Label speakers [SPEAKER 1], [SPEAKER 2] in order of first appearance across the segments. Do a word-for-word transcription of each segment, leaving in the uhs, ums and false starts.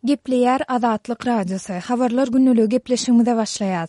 [SPEAKER 1] Gepleýär Azatlyk Radiosy, Habarlar gündeligi gepleşigimize başlaýas.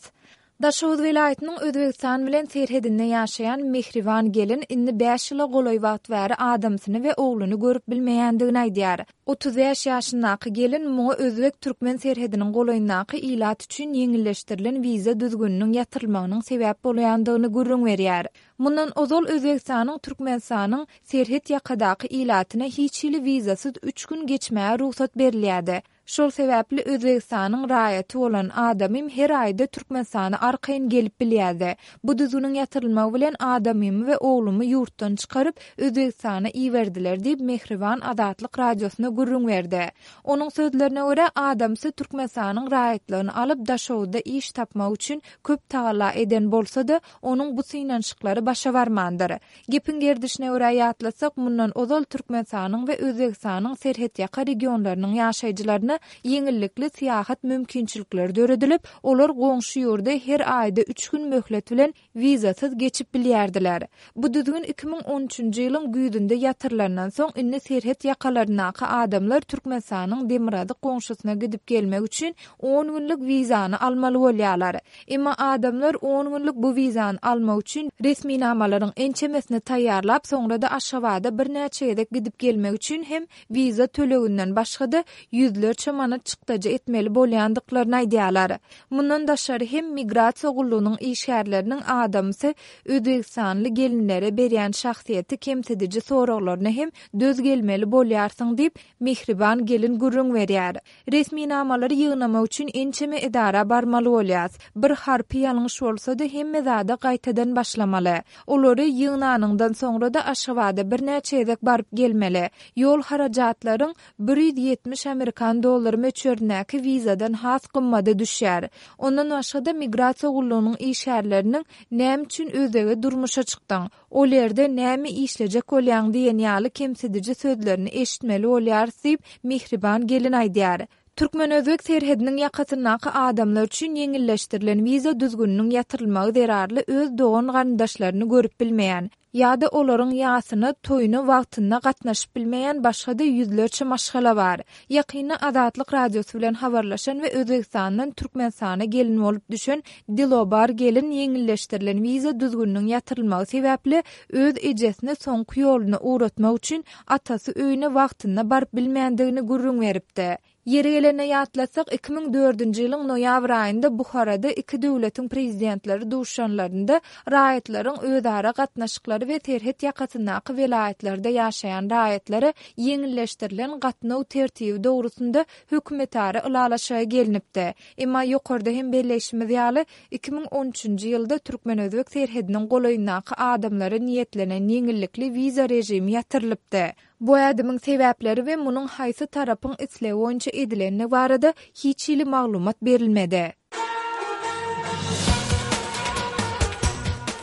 [SPEAKER 1] Daşoguz welaýatynyň Özbegistan bilen serhedinde ýaşaýan Mehriban gelin indi bäş ýyla golaý wagt bäri adamsyny we ogluny görüp bilmeýändigini aýdýar. Otuz bäş ýaşyndaky gelin muňa özbek-türkmen serhediniň golaýyndaky ilat üçin ýeňilleşdirilen wiza düzgüniniň ýatyrylmagynyň sebäp bolýandygyny gürrüň berýär. Mundan ozal Özbegistanyň Türkmenistanyň serhet ýakadaky ilatyna hiç hili wizasyz üç gün geçmäge rugsat berilýärdi. Şol sebäpli Özbegistanyň raýaty bolan adamym her aýda Türkmenistana arkaýyn gelip bilýärdi. Bu düzgüniň ýatyrylmagy bilen adamymy we oglumy ýurtdan çykaryp, Özbegistana iberdiler diýip, Mehriban Azatlyk Radiosyna gürrüň berdi. Onuň sözlerine görä, adamsy Türkmenistanyň raýatlygyny alyp, Daşoguzda iş tapmak üçin köp tagalla eden bolsa-da, onuň bu synanyşyklary başa barmandyr. Gepiň gerdişine görä ýatlatsak, mundan ozal Türkmenistanyň we Özbegistanyň serhetýaka regionlarynyň ýaşaýjylaryna ýeňillikli syýahat mümkinçilikleri döredilip, olar goňşy ýurda her aýda üç gün möhlet bilen wizasyz geçip bilýärdiler. Bu düzgün iki müň on üçünji ýylyň güýzünde ýatyrylandan soň, indi serhet ýakalaryndaky adamlar Türkmenistanyň demirgazyk goňşusyna gidip gelmek üçin on günlük wizany almaly bolýarlar. Emma adamlar on günlük bu wizany almak üçin resminamalaryň ençemesini taýýarlap, soňra-da Aşgabada birnäçe gezek gidip gelmek üçin hem wiza töleginden başga-da ýüzlerçe manat çykdajy etmeli bolýandyklaryny aýdýarlar. Mundan daşary hem migrasiýa gullugynyň işgärleriniň adamsy özbegistanly gelinlere berýän şahsyýeti kemsidiji soraglaryna hem döz gelmeli bolýarsyň diýip, Mehriban gelin gürrüň berýär. Resminamalary ýygnamak üçin ençeme edara barmaly bolýas. Bir harpy ýalňyş bolsa-da hemme zada gaýtadan başlamaly. Olary ýygnanyňdan soňra-da Aşgabada birnäçe gezek baryp gelmeli. Ýol harajatlaryň bir ýüz ýetmiş amerikan dollary möçberindäki wizadan has gymmada düşýär. Ondan başga-da migrasiýa gullugynyň işgärleriniň näme üçin özbege durmuşa çykdyň, ol ýerde näme işlejek bolýaň diýen ýaly kemsidiji sözlerini eşitmeli bolýarys diýip, Mehriban gelin aýdýar. Türkmen-özbek serhediniň ýakasyndaky adamlar üçin ýeňilleşdirilen wiza düzgüniniň ýatyrylmagy zerarly öz dogan-garyndaşlaryny görüp bilmeýän ýa-da olaryň ýasyna, toýuna wagtynda gatnaşyp bilmeýän başga-da ýüzlerçe maşgala bar. Ýakynda Azatlyk Radiosy bilen habarlaşan we Özbegistandan Türkmenistana gelin bolup düşen Dilobar gelin ýeňilleşdirilen wiza düzgüniniň ýatyrylmagy sebäpli öz ejesini soňky ýoluna ugratmak üçin atasy öýüne wagtynda baryp bilmändigini gürrüň beripdi. Ýeri gelende ýatlatsak, iki müň dördünji ýylyň noýabr aýynda Buharada iki döwletiň prezidentleri duşanlarynda raýatlaryň özara gatnaşyklary we serhet ýakasyndaky welaýatlarda ýaşaýan raýatlara ýeňilleşdirilen gatnaw tertibi dogrusynda hökümetara ylalaşyga gelinipdi. Emma ýokarda hem belleýşimiz ýaly, iki müň on üçünji ýylda türkmen-özbek serhediniň golaýyndaky adamlara niýetlenen ýeňillikli wiza režimi ýatyrylypdy. Bu ädimiň sebäpleri we munuň haýsy tarapyň islegi boýunça edilendigi barada hiç hili maglumat berilmedi.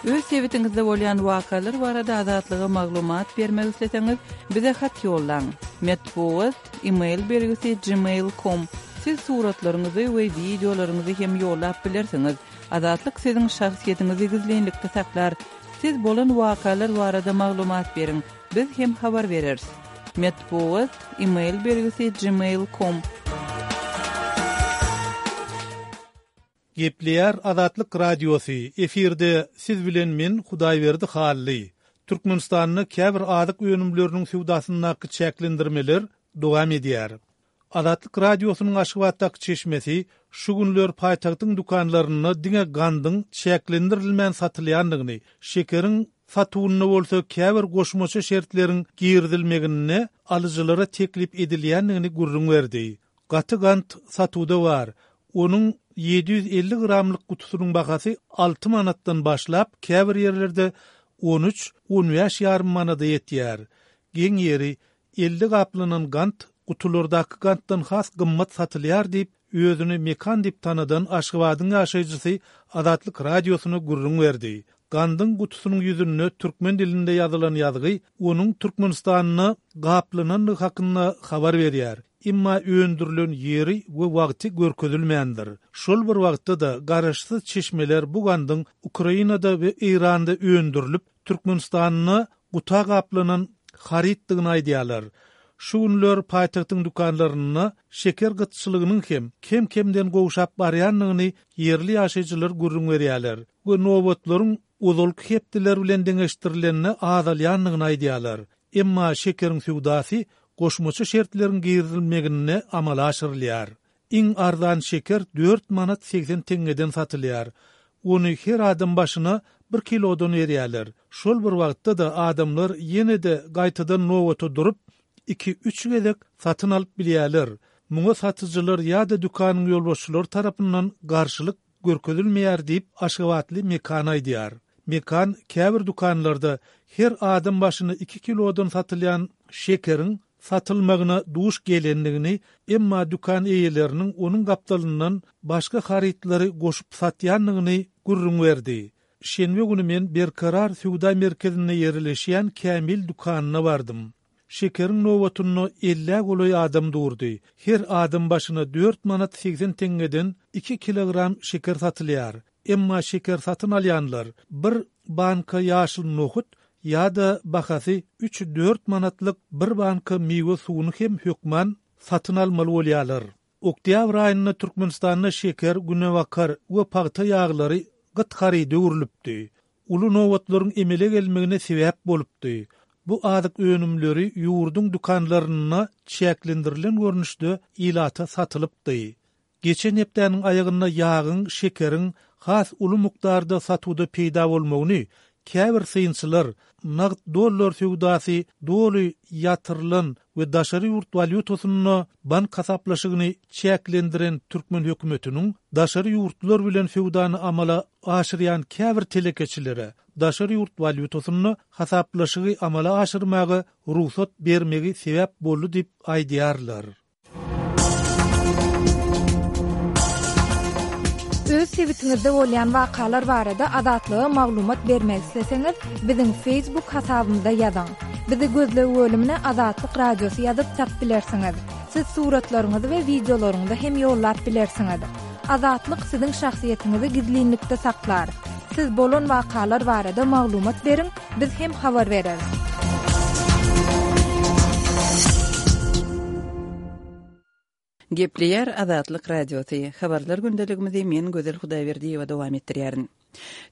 [SPEAKER 2] Öz sebitiňizde bolýan wakalar barada Azatlyga maglumat bermek isleseňiz, bize hat ýollaň. Metbugat, e-mail belgisi gmail com. Siz suratlaryňyzy we wideolaryňyzy hem ýollap bilersiňiz. Azatlyk siziň şahsyýetiňizi gizlinlikde saklar. Siz bolan wakalar barada maglumat beriň. Biz hem habar bereris. Metbugat, e-mail belgisi gmail com.
[SPEAKER 3] Gepleýär Azatlyk Radiosy, efirde siz bilen men Hudaýberdi Hally. Türkmenistanda käbir azyk önümleriniň söwdasyndaky çäklendirmeler dowam edýär. Azatlyk Radiosynyň Aşgabatdaky çeşmesi şu günler paýtagtyň dükanlarynda diňe gandyň çäklendirilmän satylýandygyny, şekeriň satuwynda bolsa käbir goşmaça şertleriň girizilmeginde alyjylara teklip edilýändigini gürrüň berdi. Gaty gant satuwda bar. Onuň ýedi ýüz elli gramlyk gutusynyň bahasy alty manatdan başlap, käbir ýerlerde on üç, on bäş ýarym manada ýetýär. Geň ýeri, elli gaplanan gant gutulardaky gantdan has gymmat satylýar diýip, özüni Mekan diýip tanadan Aşgabadyň ýaşaýjysy Azatlyk Radiosyna gürrüň berdi. Gandyň gutusynyň ýüzünde türkmen dilinde ýazylan ýazgy onuň Türkmenistanda gaplanandygy hakynda habar berýär. Emma öndürilen ýeri we wagty görkezilmändir. Şol bir wagtda-da garaşsyz çeşmeler bu gandyň Ukrainada we Eýranda öndürilip, Türkmenistanda guta gaplanan harytdygyny aýdýarlar. Şu günler paýtagtyň dükanlarynda şeker gytçylygynyň hem kem-kemden gowşap barýandygyny ýerli ýaşaýjylar gürrüň berýärler we nobatlaryň ozalky hepdeler bilen deňeşdirilende azalýandygyny aýdýarlar. Emma şekeriň söwdasy goşmaça şertleriň girizilmeginde amala aşyrylýar. Iň arzan şeker dört manat segsen teňňeden satylýar. Ony her adam başyna bir kilodan berýärler. Şol bir wagtda-da adamlar ýene-de gaýtadan nobata durup, iki-üç gezek satyn alyp bilýärler. Muňa satyjylar ýa-da dükanyň ýolbaşçylary tarapyndan garşylyk görkezilmeýär diýip, aşgabatly Mekan aýdýar. Mekan käbir dükanlarda her adam başyna iki kilodan satylýan şekeriň satylmagyna duş gelendigini, emma dükan eýeleriniň onuň gapdalyndan başga harytlary goşup satýandygyny gürrüň berdi. Şenbe güni men Berkarar söwda merkezinde ýerleşýän Kämil dükanyna bardym. Şekeriň nobatynda ellä golaý adam durdy. Her adam başyna dört manat segsen teňňeden iki kilogram şeker satylýar. Emma şeker satyn alýanlar bir banka ýaşyl nohut ýa-da bahasy üç-dört manatlyk bir banka miwe suwuny hem hökman satyn almaly bolýarlar. Oktýabr aýynda Türkmenistanda şeker, günebakar we pagta ýaglary gyt haryda öwrülipdi. Uly nobatlaryň emele gelmegine sebäp bolupdy. Bu azyk önümleri ýurduň dükanlarynda çäklendirilen görnüşde ilata satylypdy. Geçen hepdäniň aýagynda ýagyň, şekeriň has uly mukdarda satuwda peýda bolmagyny käbir synçylar nagt dollar söwdasy doly ýatyrylan we daşary ýurt walýutasynda bank hasaplaşygyny çäklendiren türkmen hökümetiniň daşary ýurtlar bilen söwdany amala aşyrýan käbir telekeçilere daşary ýurt walýutasynda hasaplaşygy amala aşyrmaga rugsat bermegi sebäp boldy diýip aýdýarlar.
[SPEAKER 1] Öz sebitiňizde bolýan wakalar barada Azatlyga maglumat bermek isleseňiz, biziň Facebook hasabymyza ýazyň. Bizi gözleg bölümine Azatlyk Radiosy ýazyp tapyp bilersiňiz. Siz suratlaryňyzy we wideolaryňyzy hem ýollap bilersiňiz. Azatlyk siziň şahsyýetiňizi gizlinlikde saklar. Siz bolan wakalar barada maglumat beriň, biz hem habar bereris.
[SPEAKER 2] Gepleýär Azatlyk Radiosy. Habarlar gündeligimizi men Gözel Hudaýberdiýewa dowam etdirýärin.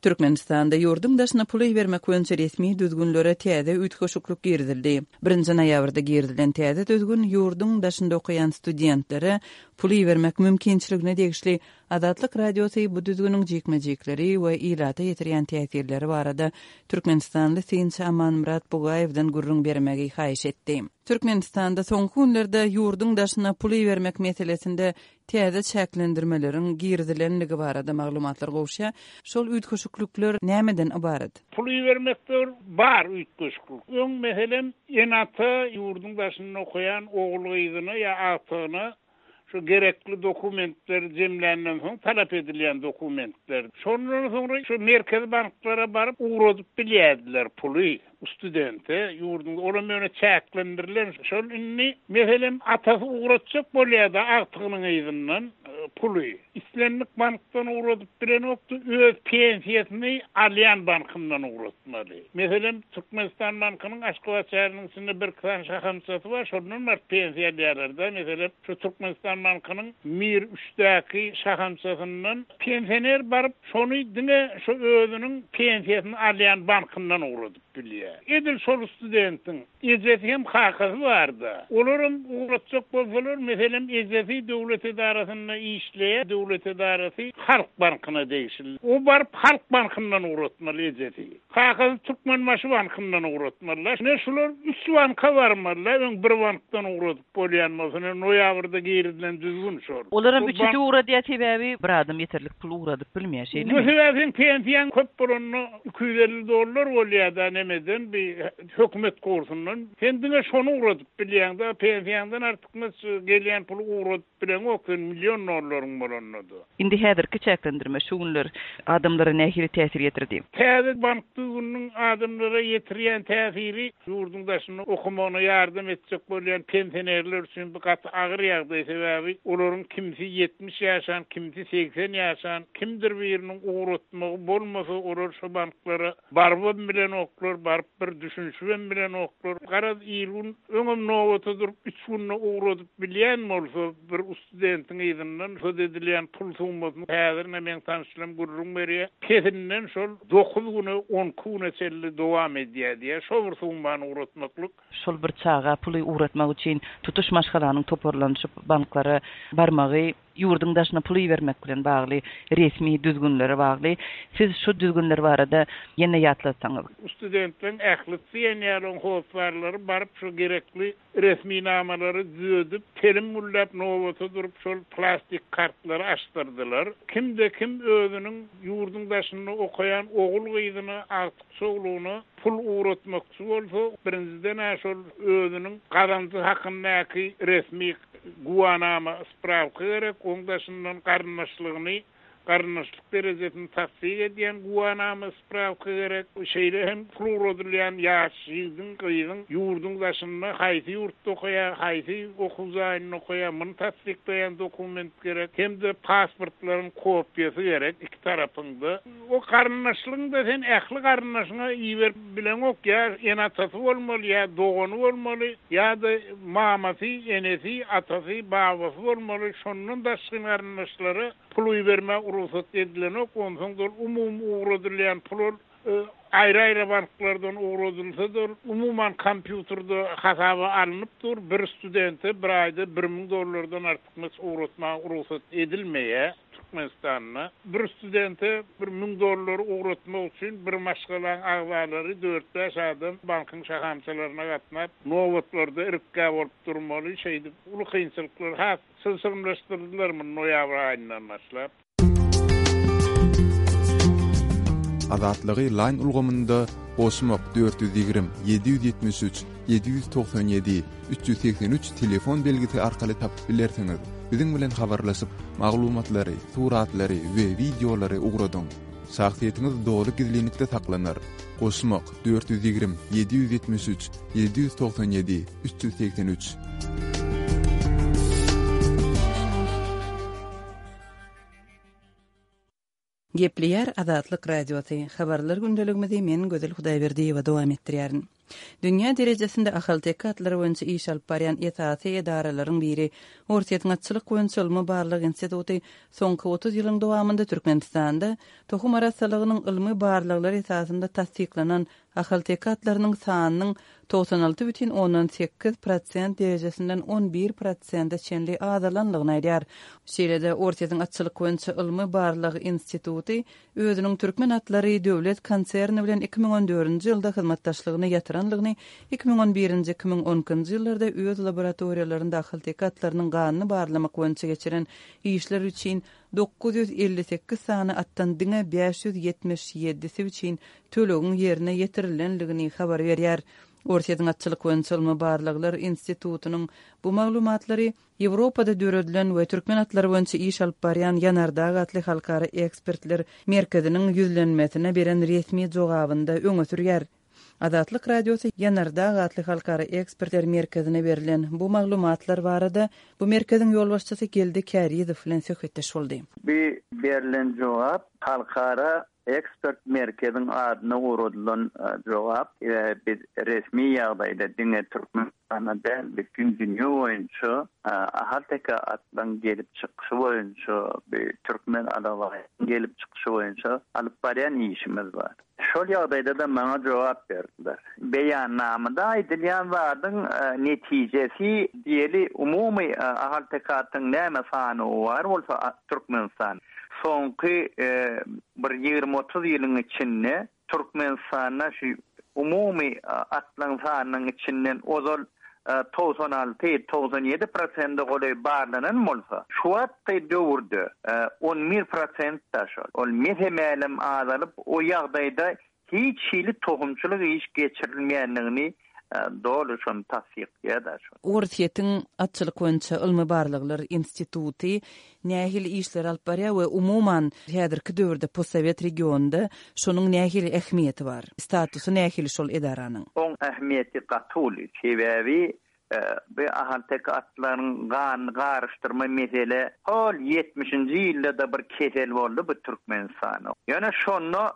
[SPEAKER 2] Türkmenistanda ýurduň daşyna pul ibermek boýunça resmi düzgünlere täze üýtgeşiklik girizildi. Birinji noýabrda girizilen täze düzgün ýurduň daşynda okaýan studentlere pul ibermek mümkinçiligine degişli. Azatlyk Radiosy bu düzgüniň jikme-jikleri we ilata ýetirýän täsirleri barada türkmenistanly synçy Amanmyrat Bugaýewden gürrüň bermegi haýyş etdi. Türkmenistanda soňky günlerde ýurduň daşyna pul ibermek meselesinde täze çäklendirmeleriň girizilenligi barada maglumatlar gowşýar. Şol üýtgeşiklikler nämeden ybarat?
[SPEAKER 4] Pul ibermekde bar üýtgeşiklik. Öň meselem ene-ata ýurduň daşynda okaýan ogul gyzyna ýa agtygyna şu gerekli dokumentleri jemländen soň talap edilýän dokumentler. Şondan soňra şu merkezi banklara baryp ugradyp bilýärdiler puly studente ýurduň olam ýöne çäklendirilen. Şol indi meselem atasy ugratjak bolýar-da agtygynyň yzyndan, e, puly. Islendik bankdan ugradyp bilenokdy, öz pensiýasyny alýan bankyndan ugratmaly. Meselem Türkmenistan bankynyň Aşgabat şäheriniň içinde bir sany şahamçasy bar, şondan baryp pensiýa alýarlar-da. Meselem şu Türkmenistan bankynyň Mir üçdäki şahamçasyndan pensioner baryp şony diňe şu özüniň pensiýasyny alýan bankyndan ugradyp bilýär. Edil şol studentiň ejesi hem kakasy bardy. Olaram ugratjak bolsalar, meselem ejesi döwlet edarasynda işleýär, döwlet edarasy Halk bankyna degişli. O baryp Halk bankyndan ugratmaly ejesi. Kakasy Türkmenbaşy bankyndan ugratmaly. Ne şular üç banka barmaly, öň bir bankdan ugradyp bolýan bolsa, ne noýabrda girizilen düzgün şol.
[SPEAKER 2] Olaram
[SPEAKER 4] Bu
[SPEAKER 2] üçüsi
[SPEAKER 4] bank
[SPEAKER 2] ugradýar, sebäbi bir adam ýeterlik pul ugradyp bilmeýär, şeýlemi?
[SPEAKER 4] Bu sebäpden pensiýaň köp bolanda iki ýüz elli dollar bolýar da nemeden bir hökümet kursundan. Sen diňe şony ugradyp bilýäň-de, pensiýaňdan artykmaç gelýän puly ugradyp bileňok, sen milyon dollaryň bolanda da.
[SPEAKER 2] Indi häzirki çäklendirme şu günler adamlara nähili täsir ýetirdi?
[SPEAKER 4] Täze bank düzgüniniň adamlara ýetirýän täsiri ýurduň daşynda okamagyna ýardam etjek bolýan pensionerler üçin bu gaty agyr ýagdaý, sebäbi olaryň kimsi ýetmiş ýaşan, kimsi segsen ýaşan, kimdir biriniň ugratmagy bolmasa olar şu banklara barybam bilenoklar. bilenoklar, baryp bir düşünişibem bilenoklar. Garaz il-gün öňem nobata durup üç günde ugradyp bilýän bolsa bir studentiň yzyndan söz edilýän pul summasyny häzir men tanşylam gürrüň berýär. Pesinden şol dokuz güne, on iki güne çenli dowam edýär diýär. Şo bir summany ugratmaklyk.
[SPEAKER 2] Şol bir çaga puly ugratmak üçin tutuş maşgalanyň toparlanyşyp banklara barmagy, ýurduň daşyna puly bermek bilen bagly resmi düzgünlere bagly. Siz şu düzgünler barada ýene ýatlatsaňyz.
[SPEAKER 4] Studentleriň ähli diýen hoslarlary baryp şu gerekli resminamalary düzedip, telim müllap nobata durup şol plastik kartlary açdyrdylar. Kimde kim özüniň ýurduň daşynda okaýan ogul gyzyna, agtyk çoglugyna pul ugratmakçy bolsa, birinjiden şol özüniň gazanjy hakyndaky resmi guwanama spravka gerek, oň daşyndan garyndaşlygyny, garyndaşlyk derejesini tassyk edýän guwanama spravka gerek. Şeýle hem pul ugradylýan ýaş ýigidiň, gyzyň ýurduň daşynda haýsy ýurtda okaýar, haýsy okuw jaýynda okaýar, muny tassyklaýan dokument gerek, hem-de pasportlaryň kopiýasy gerek iki tarapyňda. O garyndaşlygyňda sen ähli garyndaşyňa iberip bileňok, ýa ene-atasy bolmaly, ýa dogany bolmaly, ýa-da mamasy, enesi, atasy, babasy bolmaly. Şondan daşky garyndaşlara pul iberme rugsat edilenok. Onsoň da umumy ugradylýan pul ol, e, aýry-aýry banklardan ugradylsa-da umuman kompýuterde hasaba alnyp dur. Bir studente bir aýda bir müň dollardan artykmaç ugratmaga rugsat edilmeýär Türkmenistanda. Bir studente bir müň dollar ugratmak üçin bir maşgalaň agzalary dört-bäş adam bankyň şahamçalaryna gatnap, nobatlarda irkgä bolup durmaly. Şeýdip uly kynçylyklar has çylşyrymlaşdyrdylar muny noýabr aýyndan başlap.
[SPEAKER 5] Azatlygy line ulgamynda goşmak dört ýüz ýigrimi, ýedi ýüz ýetmiş üç, ýedi ýüz togsan ýedi, üç ýüz segsen üç telefon belgisi arkaly tapyp bilersiňiz. Biziň bilen habarlaşyp, maglumatlary, suratlary we wideolary ugradyň. Şahsyýetiňiz doly gizlinlikde saklanar. Goşmak dört ýüz ýigrimi, ýedi ýüz ýetmiş üç, ýedi ýüz togsan ýedi, üç ýüz segsen üç.
[SPEAKER 2] Gepleýär Azatlyk Radiosy. Habarlar gündeligimizi men Gözel Hudaýberdiýewa dowam etdirýärin. Dünýä derejesinde ahalteke atlary boýunça iş alyp barýan esasy edaralaryň biri Orsýetiň atçylyk boýunça ylmy barlag instituty soňky otuz ýylyň dowamynda Türkmenistanda tohum arassalygynyň ylmy barlaglary esasynda tassyklanan ahalteke atlarynyň sanynyň togsan alty bütin ondan sekiz prosent derejesinden on bir prosente çenli azalanlygyny aýdýar. Şeýle-de Orsýetiň atçylyk boýunça ylmy barlag instituty özüniň Türkmen atlary döwlet konserni bilen iki müň on dördünji ýylda hyzmatdaşlygyny ýatyranlygyny, iki müň on birinji, iki müň on ikinji ýyllarda öz laboratoriýalarynda ahalteke atlarynyň ganyny barlamak boýunça geçiren işler üçin dokuz ýüz elli sekiz sany atdan diňe bäş ýüz ýetmiş ýedisi üçin tölegiň ýerine ýetirilenligini habar berýär. Orsýetiň atçylyk boýunça ylmy barlaglar institutynyň bu maglumatlary Ýewropada döredilen we türkmen atlary boýunça iş alyp barýan Ýanardag atly halkara ekspertler merkeziniň ýüzlenmesine beren resmi jogabynda öňe sürýär. Azatlyk Radiosy Ýanardag atly halkara ekspertler merkezine berlen bu maglumatlar barada bu merkeziň ýolbaşçysy Geldi Kärizow bilen söhbetdeş boldy.
[SPEAKER 6] Bu berlen jogap halkara ekspert merkeziň adyna ugradylan, e, jogap. E, biz resmi ýagdaýda diňe Türkmenistanda däl, bütün dünýä boýunça, e, ahalteke atlaryň gelip çykyşy boýunça, bir türkmen alabaýynyň gelip çykyşy boýunça alyp barýan işimiz bar. Şol ýagdaýda da maňa jogap berdiler. Beýannamada aýdylýan zadyň, e, netijesi diýeli umumy, e, ahalteke atyň näme sany bar bolsa, a, Türkmenistan soňky, e, bir ýigrimi otuz ýylyň içinde Türkmenistanda şu umumy, e, atlaryň sanynyň içinden ozal, e, togsan alty, togsan ýedi prosente golaý barlanan bolsa, şu wagtky döwürde, e, on bir prosent da şol. Ol mesemelem azalyp, o ýagdaýda hiç hili tohumçylyk iş geçirilmeýändigini, e, doly şony tassyklaýar da şol.
[SPEAKER 2] Orsýetiň atçylyk boýunça ylmy barlaglar instituty nähili işler alyp barýar we umuman häzirki döwürde postsowet regionynda şonuň nähili ähmiýeti bar? Statusy nähili şol edaranyň?
[SPEAKER 6] Oň ähmiýeti gaty uly. Sebäbi, e, bu ahalteke atlaryň ganyny garyşdyrma mesele hol ýetmişinji ýylda da bir kesel boldy bu Türkmenistanda. Ýöne şonda,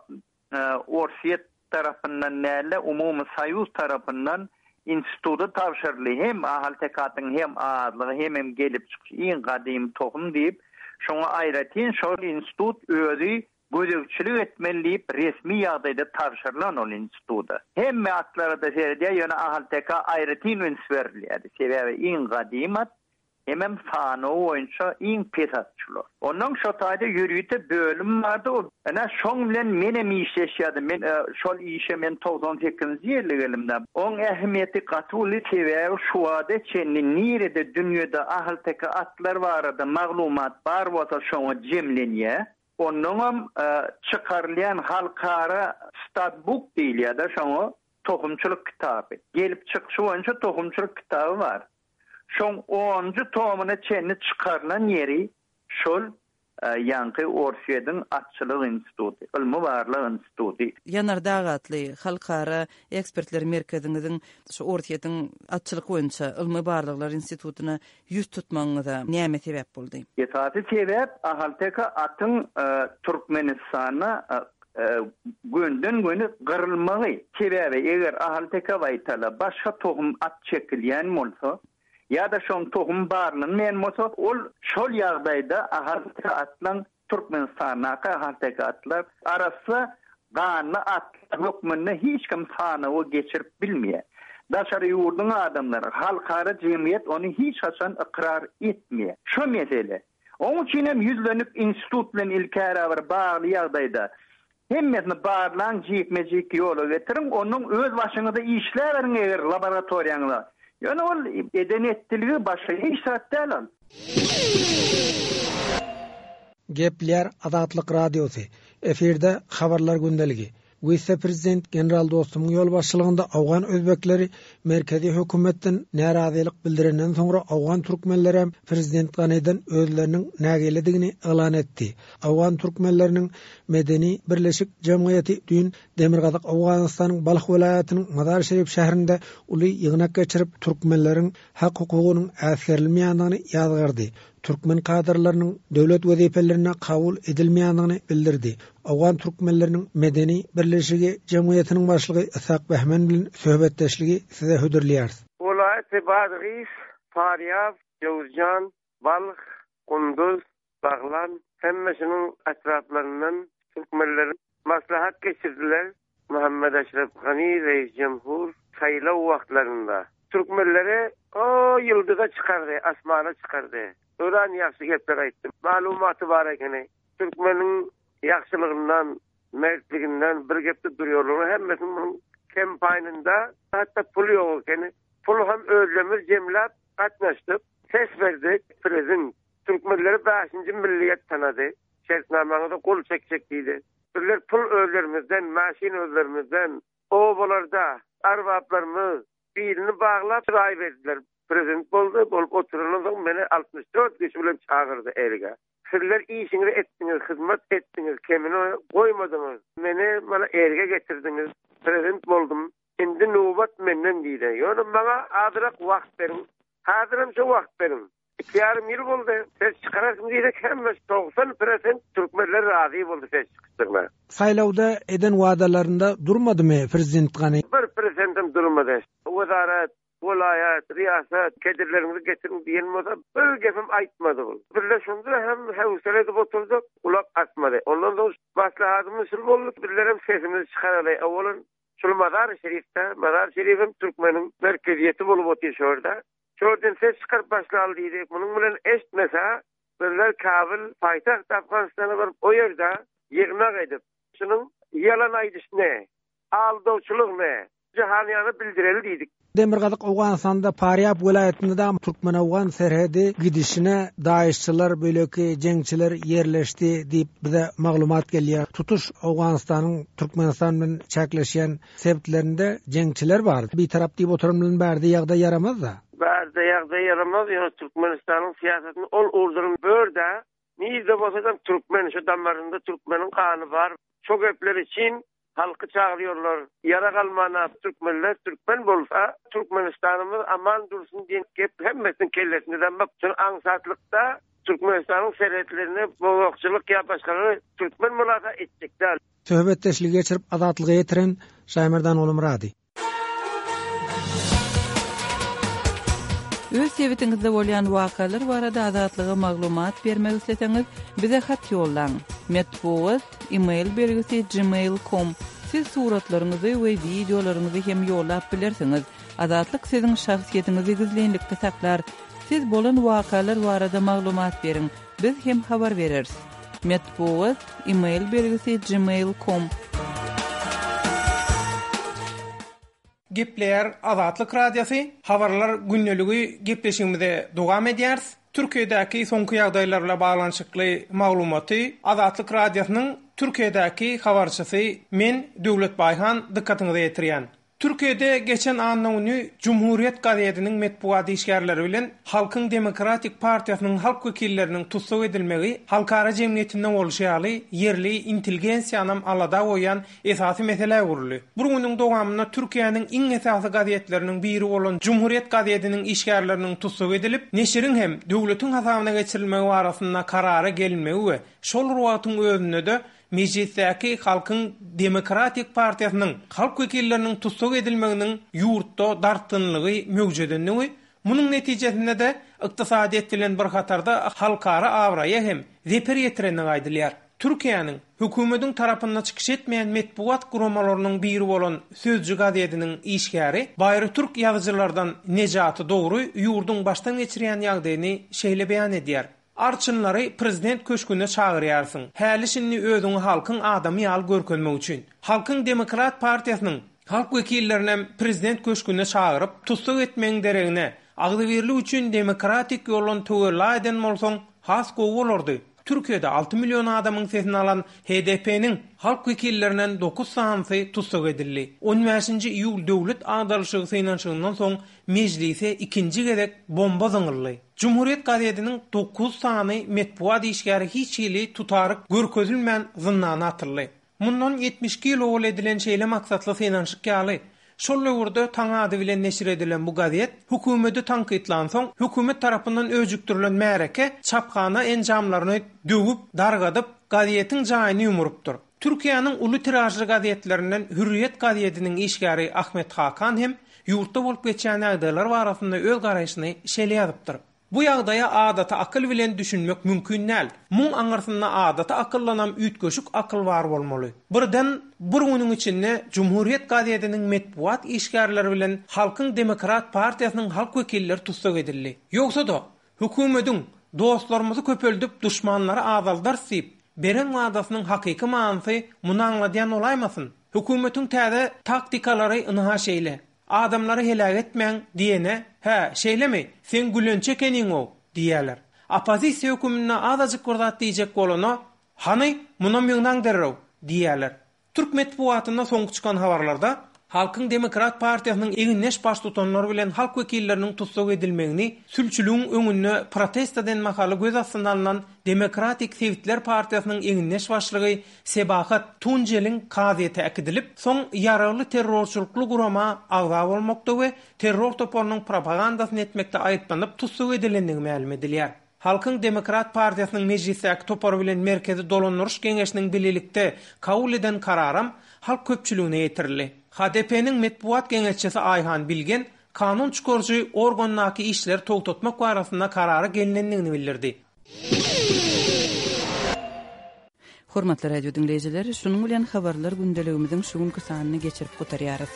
[SPEAKER 6] e, Orsýet tarapyndan näle umumy soýuz tarapyndan instituta tabşyryldy. Hem Ahalteke atyň hem azlygy hem hem gelip çykyş iň gadymy tohum diýip, şoňa aýratyn şol institut özi gözegçilik etmeli diýip resmi ýagdaýda tabşyrylan ol instituta. Hemme atlara da seredýär, ýöne Ahalteke aýratyn üns berilýär. Sebäbi iň gadymy at, hemem sany boýunça iň pes at şular. Ondan şo taýda ýörite bölüm bardy. O ene şoň bilen menem işleşýärdim. Men, e, şol işe men togsan sekizinji ýylda gelimde. Oň ähmiýeti gaty uly, sebäbi şu wada çenli nirede dünýede Ahalteke atlar barada maglumat bar bolsa şoňa jemlenýär. Ondanam, e, çykarylýan halkara statbook diýilýär-de şoňa tohumçylyk kitaby. Gelip çykyşy boýunça tohumçylyk kitaby bar. Şoň onuncu tomuna çenli çykarylan ýeri şol, e, ýaňky Orsýetiň atçylyk instituty, ylmy barlag instituty.
[SPEAKER 2] Ýanardag atly halkara ekspertler merkeziňiziň şu Orsýetiň atçylyk boýunça ylmy barlaglar institutyna ýüz tutmagyňyza näme sebäp boldy?
[SPEAKER 6] Esasy sebäp Ahalteke atyň, e, Türkmenistanda, e, e, gönden göni gyrylmagy. Sebäbi eger Ahalteke baýtala başga tohum at çekilýän bolsa ýa-da şoň tohum barlanmaýan bolsa, ol şol ýagdaýda Ahalteke atlaň Türkmenistandaky Ahalteke atlar arassa ganly atlar hökmünde hiç kim sanawy geçirip bilmeýär. Daşary ýurduň adamlary, halkara jemgyýet ony hiç haçan ykrar etmeýär. Şu mesele. Onuň üçin hem ýüzlenip institut bilen ilkäre bir bagly ýagdaýda hemmesini barlaň, jikme-jik ýola getiriň, onuň öz başyňyzda işläberiň eger laboratoriýaňyzda. Ýöne ol eden etdiligi başga hiç zat däl ol.
[SPEAKER 7] Gepler Azatlyk Radiosy. Efirde habarlar gündeligi. Wise-prezident General Dostumyň ýolbaşçylygynda Awgan özbekleri merkezi hökümetden närazylyk bildirenden soňra Awgan türkmenleri hem prezident Ganiden özleriniň nägiledigini yglan etdi. Awgan türkmenleriniň medeni birleşik jemgyýeti düýn Demirgazyk Awganystanyň Balh welaýatynyň Mazar Şerif şäherinde uly ýygnak geçirip türkmenleriň hak hukugynyň äsgerilmeýändigini ýazgardy. Türkmen kadrlarynyň döwlet wezipelerine kabul edilmeýändigini bildirdi. Awgan türkmenleriniň medeni birleşigi jemgyýetiniň başlygy Ishak Behmen bilen söhbetdeşligi size hödürleýäris.
[SPEAKER 8] Welaýat Badgis, Farýab, Jowzjan, Balh, Kunduz, Baglan hemmesiniň etraplaryndan türkmenler maslahat geçirdiler. Muhammed Eşref Gani reis cumhur saýlaw wagtlarynda türkmenleri o ýyldyza çykardy, asmana çykardy. Öran ýagşy gepler aýtdy. Maglumaty bar ekeni. Türkmeniň ýagşylygyndan, mertliginden bir gepde durýarlar. Hemmesiniň munuň kampanyýasynda hatda pul ýok ekeni. Pul hem özlerimiz jemläp gatnaşdyk. Ses berdik. Prezident türkmenleri bäşinji milliýet tanady. Şertnamaňyza gol çekjek diýdi. Bizler pul özlerimizden, maşyn özlerimizden, obalarda arbaplarymyz birini baglap raý berdiler. Prezident boldy, bolup oturandan soň meni altmyş dört kişi bilen çagyrdy erge. Sizler işiňizi etdiňiz, hyzmat etdiňiz, kemini goýmadyňyz. Meni bana erge getirdiniz. Prezident boldum. Indi nöwbat menden diýdi. Ýöne maňa azrak wagt beriň. Hazırım şu wagt beriň. Iki ýarym ýyl boldy. Ses çykarasym diýdik, hemme togsan prosent türkmenler razy boldy ses çykyşdygyna.
[SPEAKER 7] Saýlawda eden wadalarynda durmadymy prezident Gani?
[SPEAKER 8] Bir prosentim durmady. Wezaret, welaýat, riýasat, kedirleriňizi getirin diýen bolsa bir gepim aýtmady ol. Bizler şunda hem hewsele edip oturdyk, ulak atmady. Ondan soň maslahatymyz şul boldy, bizler hem sesimizi çykaraly. Owalan şul Mazar Şerifde, Mazar Şerifim türkmeniň merkeziyeti bolup otyr şurada. Şuradan ses çykaryp başlaly diýdi. Munuň bilen eşitmese, bizler Kabul, paýtagt Afganistana baryp o ýerde ýygnak edip, şunuň ýalan aýdyşyny, aldawçylygyny jahanyýana bildireli diýdik.
[SPEAKER 7] Demirgazyk Owganystanda Farýab welaýatynda da Türkmen-Owgan serhedi gidişine daýyşçylar, böleki jeňçiler ýerleşdi diýip bize maglumat gelýär. Tutuş Owganystanyň Türkmenistan bilen çäkleşýän sebitlerinde jeňçiler bar. Bir tarap diýip oturan bilen bärde ýagdaý ýaramaz da.
[SPEAKER 8] Bärde ýagdaý ýaramaz, ýöne Türkmenistanyň syýasatyny ol urduryň börde, nirde bolsa da türkmen şu damarynda türkmeniň gany bar. Şo gepler üçin halky çagyrýarlar. Ýara galmana türkmenler türkmen bolsa Türkmenistanymyz aman dursun diýen gep hemmesiniň kellesinde bak. Şun aňsatlykda Türkmenistanyň serhetlerine bozakçylyk ýa başgalary türkmen mulaka etjek däl.
[SPEAKER 7] Söhbetdeşligi geçirip Azatlyga ýetiren Şaýmerdan Ogulmyrady.
[SPEAKER 2] Öz sebitiňizde bolýan wakalar barada Azatlyga maglumat bermek isleseňiz, bize hat ýollaň. Metbugat, e-mail belgisi gmail com. Siz suratlaryňyzy we wideolaryňyzy hem ýollap bilersiňiz. Azatlyk siziň şahsyýetiňizi gizlinlikde saklar. Siz bolan wakalar barada maglumat beriň. Biz hem habar bereris. Metbugat, e-mail belgisi gmail com.
[SPEAKER 9] Gepleýär Azatlyk Radiosy, habarlar gündeligi gepleşigimize dowam edýäris. Türkiýedäki soňky ýagdaýlar bilen baglanyşykly maglumaty Azatlyk Radiosynyň Türkiýedäki habarçysy men Döwlet Baýhan dykgatyňyza ýetirýän. Türkiýede geçen anna güni Cumhuriyet gazetiniň metbugat işgärleri bilen Halkyň Demokratik Partiýasynyň halk wekilleriniň tussag edilmegi halkara jemgyýetinde bolşy ýaly ýerli intelligensiýanam alada goýan esasy meselä öwrüldi. Bir günüň dowamynda Türkiýäniň iň esasy gazetleriniň biri bolan Cumhuriyet gazetiniň işgärleriniň tussag edilip, neşiriň hem döwletiň hasabyna geçirilmegi barasynda karara gelinmegi we şol wagtyň özünde-de Mejlisdäki Halkyň Demokratik Partiýasynyň halk wekilleriniň tussag edilmeginiň ýurtda dartgynlygy möwjedendigi, munuň netijesinde-de ykdysadyýet bilen bir hatarda halkara abraýa hem zeper ýetirenligi aýdylýar. Türkiýäniň hökümetiň tarapynda çykyş etmeýän metbugat guramalarynyň biri bolan Sözcü gazetiniň işgäri Baýry Türk ýazyjylardan Nejaty Dogry ýurduň başdan geçirýän ýagdaýyny şeýle beýan edýär. Arçynlary prezident köşgüne çagyrýarsyň. Häli şindi özüňi halkyň adamy ýaly görkezmek üçin. Halkyň Demokrat Partiýasynyň halk wekillerini prezident köşgüne çagyryp, tussag etmegiň deregine agzybirlik üçin demokratik ýoldan töwella eden bolsaň, has gowy bolardy. Türkiýede alty million adamyň sesini alan H D P-niň halk wekillerinden dokuz sanysy tussag edildi. on bäşinji iýul döwlet agdarylyşygy synanyşygyndan soň mejlise ikinji gezek bomba zyňyldy. Cumhuriyet gazetiniň dokuz sany metbugat işgäri hiç hili tutaryk görkezilmän zyndana atyldy. Mundan ýetmiş iki ýyl owal edilen şeýle maksatly synanyşyk ýaly, şol döwürde taň ady bilen neşir edilen bu gazet hökümeti tankytlan soň hökümet tarapyndan öjükdirilen märeke çaphana enjamlaryny döwüp, dargadyp, gazetiň jaýyny ýumurupdyr. Türkiýäniň uly tiražly gazetlerinden Hürriyet gazetiniň işgäri Ahmet Hakan hem ýurtda bolup geçýän ýagdaýlar barasynda öz garaýşyny şeýle ýazypdyr. Bu ýagdaýa adaty akyl bilen düşünmek mümkin däl. Muň aňyrsynda adaty akyllanam üýtgeşik akyl bar bolmaly. Birden bir günüň içinde Cumhuriyet gazetiniň metbugat işgärleri bilen Halkyň Demokrat Partiýasynyň halk wekilleri tussag edildi. Ýogsa-da, hökümetiň dostlarymyzy köpeldip duşmanlary azaldarys diýip, beren wadasynyň hakyky manysy muny aňladýan bolaýmasyn. Hökümetiň täze taktikalary ynha şeýle. Adamlary heläk etmäň diýene, hä, şeýlemi? Sen gülençe keniň-ow diýerler. Oppozisiýa höküminde azajyk bir zat diýjek bolana, hany, munam ýygnaň derrew diýerler. Türk metbugatynda soňky çykan habarlarda Halkyň Demokrat Partiýasynyň egindeş baştutanlary bilen halk wekilleriniň tussag edilmegini sülçüligiň öňünde protest eden mahaly göz astyna alnan Demokratik Sebitler Partiýasynyň egindeş başlygy Sebahat Tunjeliň kazyýete äkidilip, soň ýaragly terrorçylykly gurama agza bolmakda we terror toparynyň propagandasyny etmekde aýyplanyp tussag edilendigi mälim edilýär. Halkyň Demokrat Partiýasynyň mejlisdäki topary bilen Merkezi Dolandyryş Geňeşiniň birlikde kabul eden kararam halk köpçüligine ýetirildi. H D P-niň metbugat geňeşçisi Aýhan Bilgen kanun çykaryjy organdaky işleri togtatmak barasynda karara gelinendigini bildirdi.
[SPEAKER 2] Hormatly radio dinleýjiler, şunuň bilen habarlar gündeligimiziň şu günki sanyny geçirip gutarýarys.